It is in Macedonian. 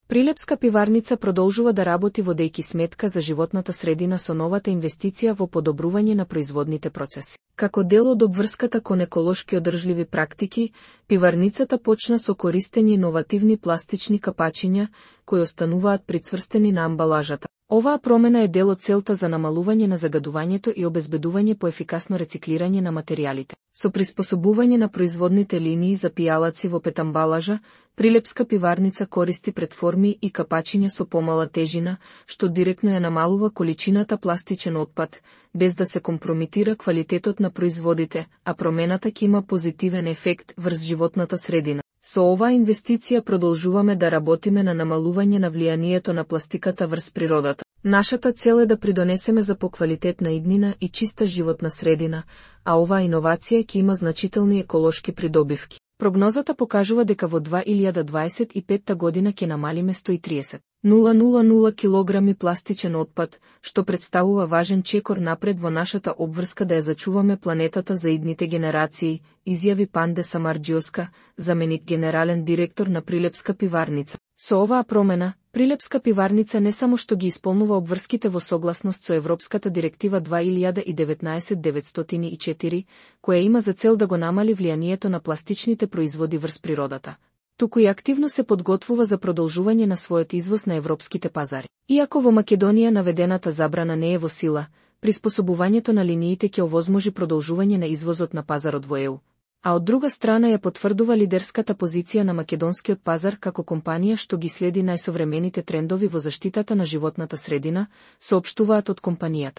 Прилепска пиварница продолжува да работи водејќи сметка за животната средина со новата инвестиција во подобрување на производните процеси. Како дел од обврската кон еколошки одржливи практики, пиварницата почна со користење иновативни пластични капачиња, кои остануваат прицврстени на амбалажата. Оваа промена е дел од целта за намалување на загадувањето и обезбедување по ефикасно рециклирање на материјалите. Со приспособување на производните линии за пијалаци во петамбалажа, Прилепска пиварница користи претформи и капачиња со помала тежина, што директно ја намалува количината пластичен отпад, без да се компромитира квалитетот на производите, а промената ќе има позитивен ефект врз животната средина. Со оваа инвестиција продолжуваме да работиме на намалување на влијанието на пластиката врз природата. Нашата цел е да придонесеме за поквалитетна иднина и чиста животна средина, а оваа иновација ќе има значителни еколошки придобивки. Прогнозата покажува дека во 2025 година ќе намалиме 130,000 килограми пластичен отпад, што представува важен чекор напред во нашата обврска да ја зачуваме планетата за идните генерации, изјави Панде Самарџиоска, заменик генерален директор на Прилепска пиварница. Со оваа промена, Прилепска пиварница не само што ги исполнува обврските во согласност со Европската директива 2019/904, која има за цел да го намали влијанието на пластичните производи врз природата, туку и активно се подготвува за продолжување на својот извоз на европските пазари. Иако во Македонија наведената забрана не е во сила, приспособувањето на линиите ќе овозможи продолжување на извозот на пазарот во ЕУ. А од друга страна ја потврдува лидерската позиција на македонскиот пазар како компанија што ги следи најсовремените трендови во заштитата на животната средина, соопштуваат од компанијата.